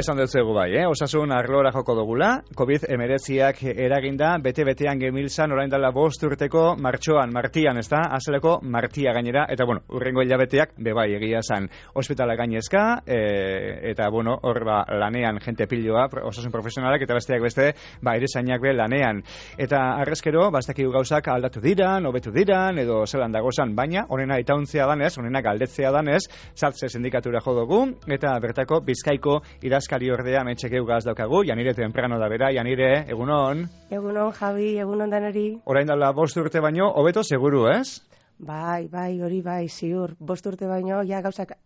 Esan dutzuegu bai, osasun arlora joko dugula, COVID-19ak eraginda, bete-betean gemilzan, orain dela 5 urteko martian, ez da, azeleko martia gainera, eta bueno, urrengo hilabeteak, bebai egia zan, ospitala gainezka, eta bueno, hor lanean jente piloa, osasun profesionalak, eta besteak beste, erizainak be lanean. Eta arrezkero, bastakigu gauzak aldatu diran, hobetu diran, edo zelan dagozan, baina, honena itauntzea danez, honena galdetzea danez, Satze sindikatura jo dugu, eta bertako Bizkaiko idazkari ordea metxekeu gaz daukagu, Janire temprano da bera, Janire, egunon? Egunon, Javi, egunon danari. Orain dela 5 urte baino, hobeto seguru, ez? Bai, hori bai, ziur. 5 urte baino, ja gauzak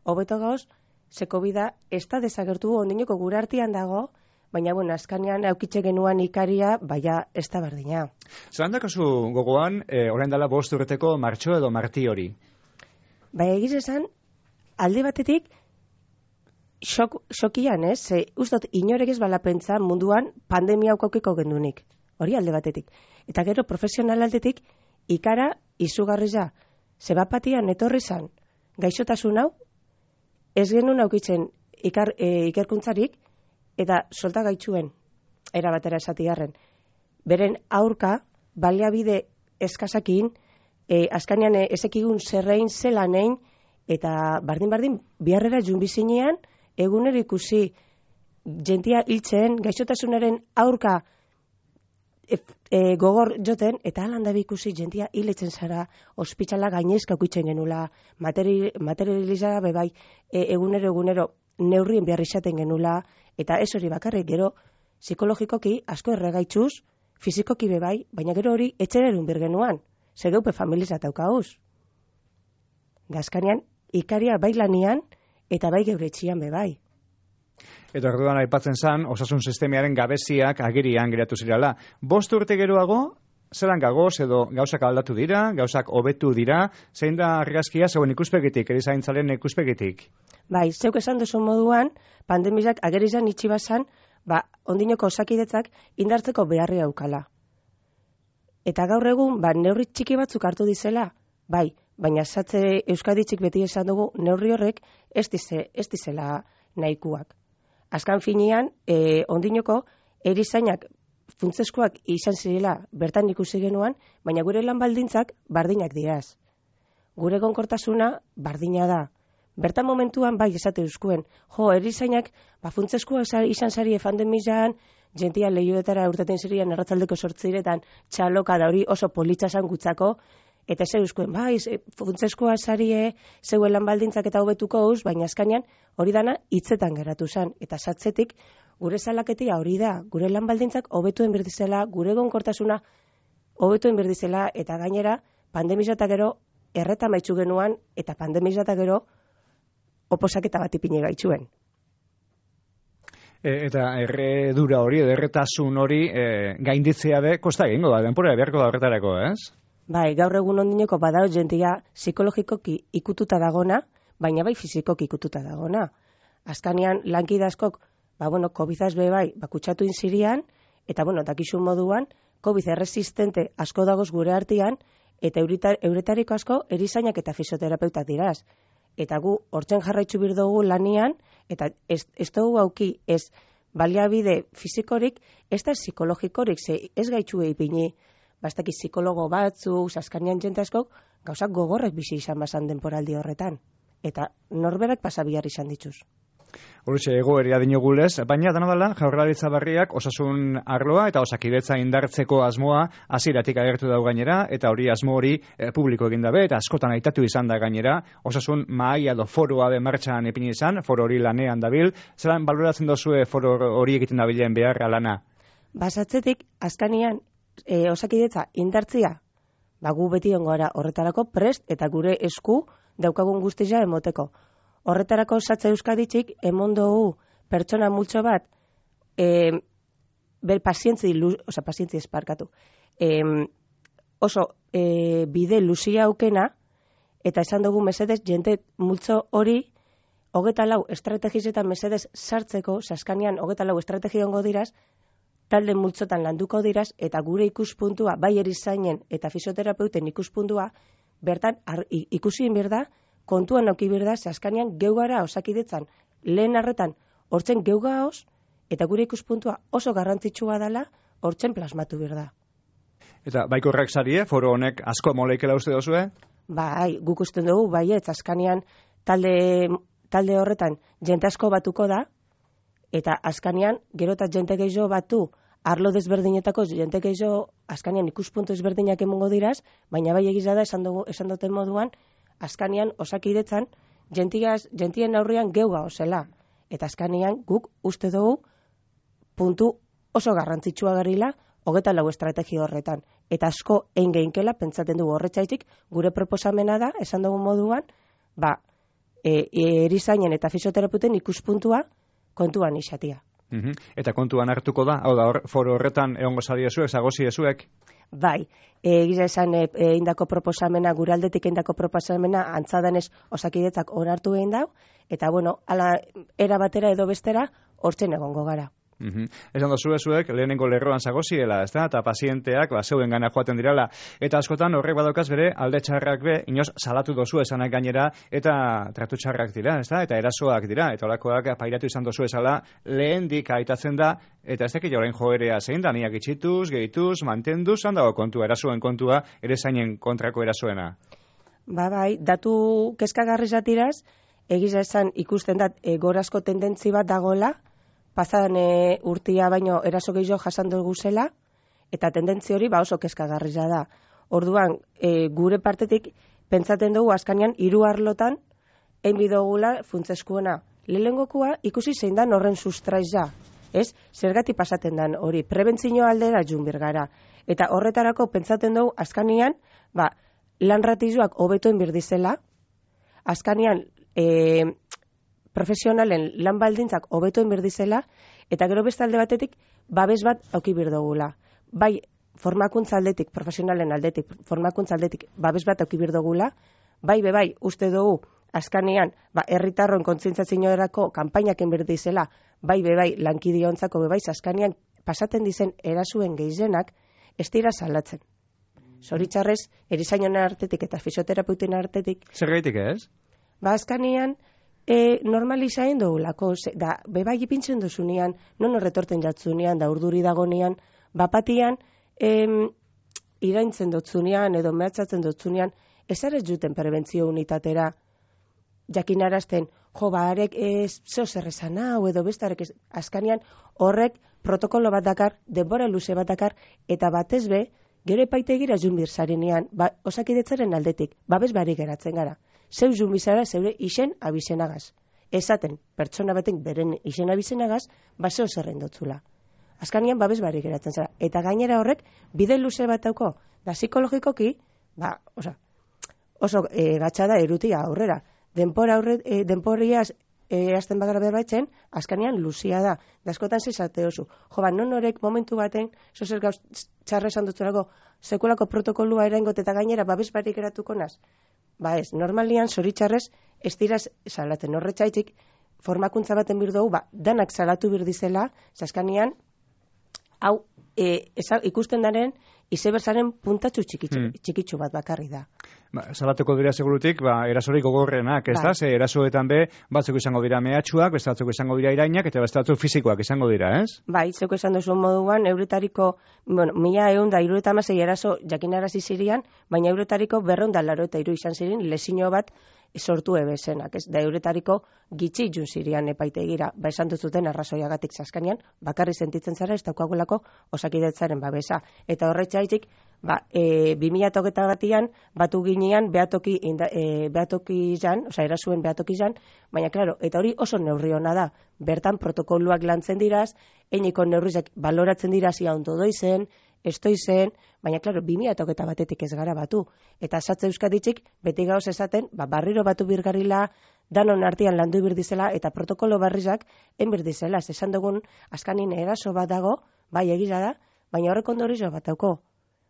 hobeto gauz, zeko bida, ez da desagertu ondinoko gure artean dago, baina, bueno, azkanean aukitxe genuan ikaria, baina ez da berdina. Zeran dakazu gogoan, orain dela 5 urteko martxo edo marti hori? Bai, egiz esan, alde batetik, xokian, ez? Ustot, inorek ez bala pentsa munduan pandemia aukokiko gendunik. Hori alde batetik. Eta gero, profesional aldetik, ikara izugarria. Zebapatian etorri zan, gaixotasun hau, ez genuen aukitzen ikerkuntzarik, eta solta gaitzuen, erabatera esatigarren. Beren aurka, baliabide eskasakin, azkanean ezekigun zerrein zelanein, eta bardin, biharrera junbizinean, egunero ikusi jentia hiltzen, gaixotasunaren aurka gogor joten, eta alandabi ikusi jentia hiletzen zara, ospitala gainezka ukitzen genula, materializa bebai, egunero neurrien behar izaten genula, eta ez hori bakarrik, gero psikologikoki asko erregaitzuz, fizikoki bebai, baina gero hori etxererun birgenuan, zegeupe familizat aukauz. Gazkanean, ikaria bai lanian, eta bai geure etxian bebai. Eta orduan aipatzen zan, osasun sistemiaren gabeziak agirian geratu zirala. 5 urte geroago, zelan gagoz edo gauzak aldatu dira, gauzak hobetu dira, zein da argazkia zeuen ikuspegitik, erizaintzaren ikuspegitik? Bai, zeuk esan duzu moduan, pandemizak agerizan itxibazan, ondinoko osakidetzak indartzeko beharri aukala. Eta gaur egun, neurri txiki batzuk hartu dizela, bai, baina Satze Euskaditzik beti esan dugu neurri horrek ez dizela nahikuak. Azkan finean, ondinoko erizainak funtzeskoak izan zirela bertan ikusi genuan, baina gure lan baldintzak bardinak diraz. Gure gonkortasuna bardina da. Bertan momentuan bai esate euskuen, erizainak funtzeskoa izan zari efandemizan, jentia lehioetara urteten zirian erratzaldeko 8 txaloka da hori oso politxasan gutzako, eta ze euskuen, funtzeskoa sarie, zeuen lan baldintzak eta hobetuko uz, baina azkanean hori dana hitzetan geratu zen. Eta Satzetik gure salaketia hori da, gure lan baldintzak hobetuen berdizela, gure gonkortasuna hobetuen berdizela, eta gainera pandemizata gero erreta maitzu genuan, eta pandemizata gero oposaketa bat ipine gaitzuen. Eta erredura hori, erretasun hori gainditzea be, kosta egingo da, denpora beharko da horretarako, ez? Bai, gaur egun ondineko badao jentia psikologikoki ikututa dagona, baina bai fizikoki ikututa dagona. Azkanean lankide askok, COVID-az be bai, kutsatu inzirian, eta dakizun moduan, COVID erresistente asko dagoz gure artean, eta euretariko asko erizainak eta fisioterapeutak diraz. Eta gu hortzen jarraitzu bir dugu lanian, eta ez dugu auki ez baliabide fizikorik, ez da psikologikorik, ez gaitxue ipini, bastaki psikologo batzu, azkanean jente askok, gauzak gogorrek bizi izan bazan denporaldi horretan. Eta norberak pasabihar izan dituz. Hortxe, egoeria dinogulez, baina dela Jaurlaritza berriak osasun arloa eta osakidetza indartzeko asmoa hasieratik agertu dau gainera, eta hori asmo hori publiko egin dabe, eta askotan aitatu izan da gainera, osasun mahaia edo foroa be martxan ipini izan, foro hori lanean dabil, zelan baloratzen dozue foro hori egiten dabilen beharra lana? Basatzetik, azkanean, osakidetza indartzia, gu beti ongoara horretarako prest eta gure esku daukagun guztia emoteko. Horretarako Satze Euskaditzik emondogu pertsona multzo bat pazientzi esparkatu. Oso bide luzia aukena, eta esan dugu mesedez jente multzo hori 24 estrategizetan mesedez sartzeko, saskanean 24 estrategia ongo diraz, talde multzotan landuko diraz, eta gure ikuspuntua, bai erizainen eta fisioterapeuten ikuspuntua, bertan ikusi inbir da, kontuan auki bir da, saskanean geugara osakidetzan lehen arretan hortzen geu gaoz, eta gure ikuspuntua oso garrantzitsua dela, hortzen plasmatu bir da. Eta baikorrak sarie, foro honek asko moleikela uste dozue? Bai, guk usten dugu, baietz, azkanian talde horretan jente asko batuko da, eta azkanian gero eta jente gehiago batu, arlo desberdinetako jente gehiago azkanian ikuspuntu ezberdinak emongo diraz, baina bai egiza da esan duten moduan, azkanian osakidetzan jentien aurrian geu gaozela. Eta azkanian guk uste dugu puntu oso garrantzitsua garila 24 estrategia horretan. Eta asko geinkela pentsatzen dugu horretzaitik gure proposamena da, esan dugu moduan, erizainen eta fisioterapeuten ikuspuntua kontuan izatia. Eta kontuan hartuko da, hau da, foro horretan egongo zariezuek, zagoziezuek? Bai, egiza esan indako proposamena, gure aldetik indako proposamena, antzadanez osakidetzak onartu egin dau, eta bueno, ala era batera edo bestera, hortzen egongo gara. Esan dozuezuek, lehenengo lerroan zagoziela, ez da? Eta pazienteak, zeuen gana joaten dirala. Eta askotan horrek badaukaz bere, alde txarrak be, inoz salatu dozu esanak gainera, eta tratu txarrak dira, ez da? Eta erasoak dira, eta olakoak pairatu izan dozu esala, lehendik aitatzen da, eta ez dakit jorein joerea zein da, niak itxituz, gehituz, mantenduz, handago kontua, erasoen kontua, ere zainen kontrako erasoena. Bai, datu kezkagarri zatiraz, egiza esan ikusten dat, gorazko tendentzi bat dagoela, pasadan urtia baino eraso gehiago jasan dugu zela, eta tendentzi hori oso kezkagarria da. Orduan, gure partetik pentsaten dugu azkanian 3 arlotan bidogula funtsezkoena. Lehenengokoa ikusi zein dan horren sustraiza. Ez, zergatik pasaten dan hori, prebentzio aldera joan birgara. Eta horretarako pentsaten dugu azkanian, lan ratizuak hobetuen birdizela, azkanian profesionalen lan baldintzak hobetuen birdizela, eta gero beste alde batetik, babes bat auki birdogula. Bai, formakuntza aldetik, profesionalen aldetik, formakuntza aldetik, babes bat auki birdogula, bai, uste dugu, azkanean, herritarron kontzientziaziorako kanpainaken birdizela, bai, lankidiontzako bai, azkanean, pasaten dizen erasuen gehienak, ez dira salatzen. Zoritxarrez, erizainon artetik eta fisioterapeuten artetik. Zer gaitik ez? Azkanean, normalizaen dugulako, da, bebai ipintzen duzunean, non horretorten jatzunean, da urduri dagonean, bapatian, iraintzen dutzunean, edo mehatzatzen dutzunean, ezarez juten prebentzio unitatera, jakinarazten, arek zeo zerrezan hau, edo bestarek azkanean, horrek protokolo bat dakar, denbora luze bat dakar, eta batez be, gero epaitegira junbir zarenean, osakidetzaren aldetik, babes barik geratzen gara. Zeu junbizara zeure isen abizenagaz. Ezaten, pertsona baten beren isen abizenagaz, zeo zerren dotzula. Azkanian babes barik geratzen zara. Eta gainera horrek, bide luze bat dauko, da psikologikoki, oso gatsa da erutia aurrera. Denporiaz azten bagara berbaitzen, azkanian luzia da. Da askotan zizate oso. Non horek momentu baten, zozer gauz txarra esan dutzulako, sekulako protokolua erangot eta gainera babes barik geratuko naz. Ez, normalian, zoritxarrez, ez dira salatzen horretxaitik, formakuntza baten birdugu, danak salatu birdizela, zaskanian, hau, ikusten daren, izeberzaren puntatxu txikitsu bat bakarri da. Salatuko dira segurutik, erasorik gogorrenak, ez da? Ze erasoetan batzuk izango dira mehatxuak, beste batzuk izango dira irainak, eta beste batzuk fisikoak izango dira, ez? Zeuko esan duzu moduan, euretariko, 1176 eraso jakinarazi zirian, baina euretariko 283 izan zirin, lesio bat sortu ebezenak, ez? Da euretariko gitxi jun zirian epaitegira, esan duzuten arrazoiagatik zaskanean, bakarri sentitzen zara ez daukagulako osakidetzaren babesa. Eta horretxaitik, 2008 batian, batu ginean behatoki izan, erasuen behatoki izan, baina, klaro, eta hori oso neurri hona da. Bertan protokoluak lantzen diraz, einiko neurrizek baloratzen diraz ia ondo doizen, estoizen, baina, klaro, 2008 batetik ez gara batu. Eta esatze euskaditzik, beti gauz esaten, barriro batu birgarrila, danon artean landu birdizela, eta protokolo barrizak enbirdizela. Esan dugun, azkanin eraso bat dago, bai egiza da, baina horrek ondorizo bat dauko.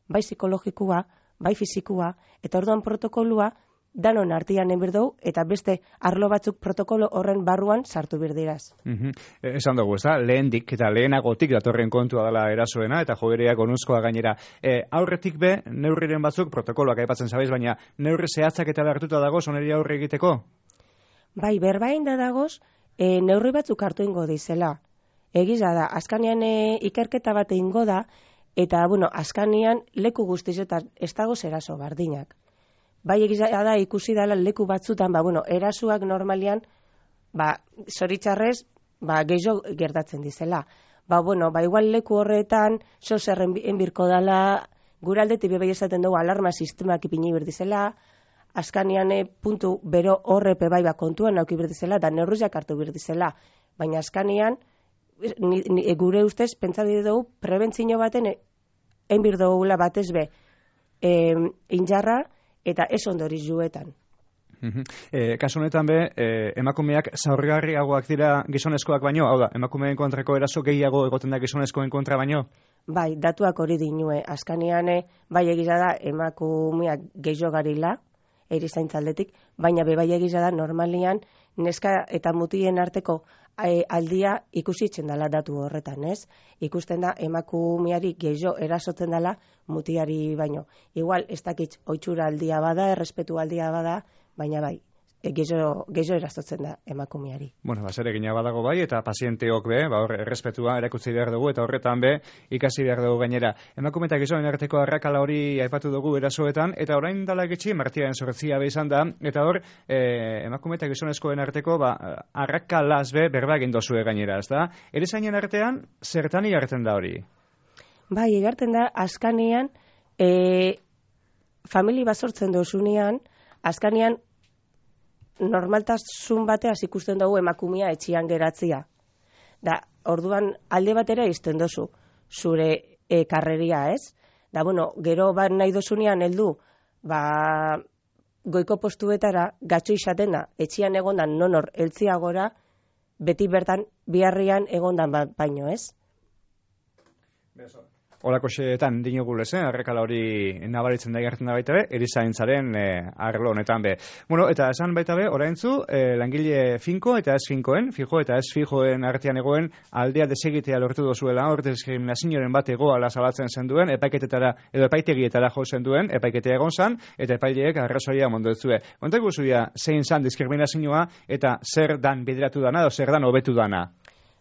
Bai psikologikua, bai fizikua, eta orduan protokolua danon artian enbirdou, eta beste arlo batzuk protokolo horren barruan sartu birdiraz. Esan dugu, ez da, lehendik eta lehenagotik datorren kontua dela erasoena, eta jogereak onuzkoa gainera. Aurretik be, neurriren batzuk protokoloak aipatzen zabaiz, baina neurri zehatzak eta behartuta dagoz, oneri aurre egiteko? Bai, berbain da dagoz, neurri batzuk hartu ingo dizela. Egiza da, azkanean ikerketa bat ingo da, eta, bueno, azkanean leku guztietan ez dago zeraso bardinak. Bai egiza da, ikusi dela leku batzutan, bueno, erasuak normalian, zoritxarrez, gehiago gertatzen dizela. Bueno, igual leku horretan, zerren enbirko dela, gure aldetik bebai esaten dugu alarma sistemak ipini berdizela, azkanean puntu bero horrepe bai kontuan nauki berdizela, da neurriak hartu berdizela. Baina azkanean, gure ustez, pentsatu dugu, prebentzio baten enbir dugula batez be, injarra eta ez ondoriz juetan. Kasu honetan be, emakumeak zaurgarriagoak dira gizonezkoak baino, hau da, emakumeen kontrako eraso gehiago egoten da gizonezkoen kontra baino? Bai, datuak hori dinue, azkanean bai egiza da emakumeak gehiago garila, erizaintzaldetik, baina bai egiza da normalian neska eta mutien arteko aldia ikusitzen dela datu horretan, ez? Ikusten da emakumeari gehiago erasotzen dela mutiari baino. Igual, ez dakit ohitura aldia bada, errespetu aldia bada, baina bai, gehiago erasotzen da emakumeari. Bueno, zer egina badago bai, eta pazienteok be, errespetua erakutsi behar dugu, eta horretan be, ikasi behar dugu gainera. Emakume eta gizonen arteko arrakala hori aipatu dugu erasoetan, eta orain dala getxi, martiaren sortzia be izan da, eta hor, emakume eta gizonezkoen arteko, arrakalaz be, berba egin dozue gainera, ez da? Erizainen artean, zertan igartzen da hori? Bai, igartzen da, azkanean, famili bazortzen dozunean, azkanean, normaltasun bateaz ikusten dugu emakumea etxian geratzia. Da, orduan alde batera izten dozu, zure karreria, ez? Da, bueno, gero nahi dozunean heldu, goiko postuetara, gatxo izatena, etxian egondan nonor eltziagora, beti bertan biharrian egondan baino, ez? Horako xeetan dinogulez, arrekala hori nabaritzen da gertzen da baita be, erizaintzaren arlo honetan be. Bueno, eta esan baita be, oraintzu, langile finko eta ez finkoen, fijo eta ez fijoen artean egoen aldea desegitea lortu dozuela, hor diskriminazioaren bat egoala zabaltzen zenduen, epaiketetara edo epaitegietara jo zenduen, epaiketea egon zan, eta epaileek arrazoia mondotzue. Kontak guzuia, zein zan diskriminazioa eta zer dan bideratu dana, edo zer dan hobetu dana?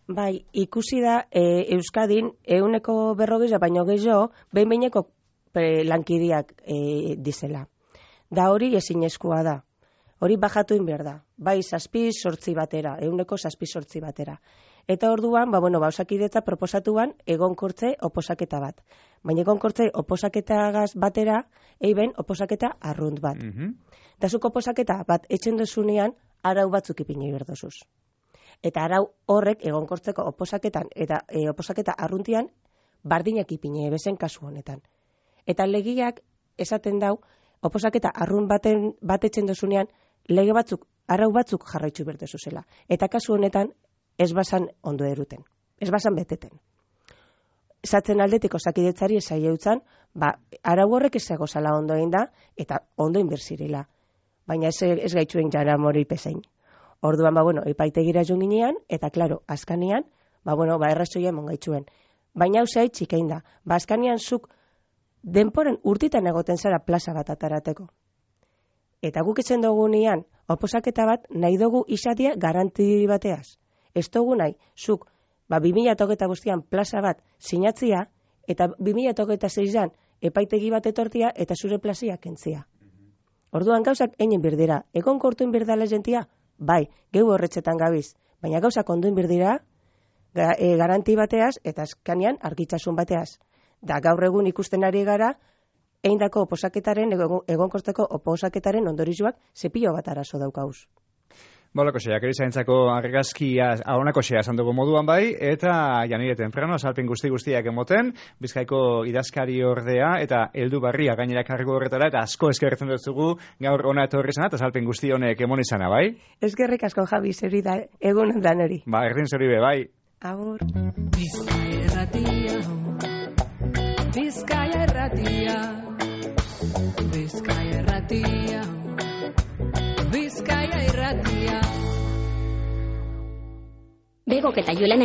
Bai, ikusi da Euskadin 140 baino gehiago behin-behineko lankideak dizela. Da hori ezinezkoa da. Hori bajatu behar da. Bai, 7-8 batera, 107 batera. Eta orduan, osakidetza proposatuan egonkortze oposaketa bat. Baina egonkortze oposaketagaz batera, eiben oposaketa arrunt bat. Dazuk oposaketa bat etxen dozunean, arau batzuk ipini berdozuz. Eta arau horrek egonkortzeko oposaketan eta oposaketa arruntian bardinak ipine bezen kasu honetan. Eta legiak esaten dau, oposaketa arrun batetzen dozunean, lege batzuk, arau batzuk jarraitzu berdezuzela. Eta kasu honetan ez basan ondo eruten, ez basan beteten. Zatzen aldetik osakidetzari esai eutzan, arau horrek ez egozala ondo egin da, eta ondo inberzirela. Baina ez gaitzuen jara mori pezein. Orduan, epaitegira joan ginean, eta, klaro, azkanean, errazoia emon gaitzuen. Baina hau zehai txikein da. Azkanean zuk denporen urtitan egoten zara plaza bat atarateko. Eta guk etzen dugu nian, oposaketa bat nahi dugu izatea garanti bateaz. Ez dugu nahi, zuk 2008 plaza bat sinatzia, eta 2006an epaitegi bat etortia eta zure plazia kentzia. Orduan gauzak einen birdira, egon kortuen birdala jentia, bai, gehu horretzetan gabiz, baina gauzak onduen birdira, garanti bateaz, eta azkanean argitzasun bateaz. Da gaur egun ikusten ari gara, eindako oposaketaren, egonkorteko oposaketaren ondorizuak zepilo bat arazo daukauz. Bolako xeak, erizaintzako argazkia ahonako xea esan dugu moduan bai, eta janireten frano, azalpen guztiak emoten, Bizkaiko idazkari ordea, eta heldu barria gainera kargo horretara, eta asko eskerretzen dutzugu gaur ona etorri zana, eta azalpen guzti honek emon izana, bai? Eskerrik asko, Javi, zeri da, egun dan hori. Erdin zeri be, bai. Agur. Bizkaia erratia, Bizkaia erratia, Bizkaia erratia, Bizkaia irratia. Begok eta Julen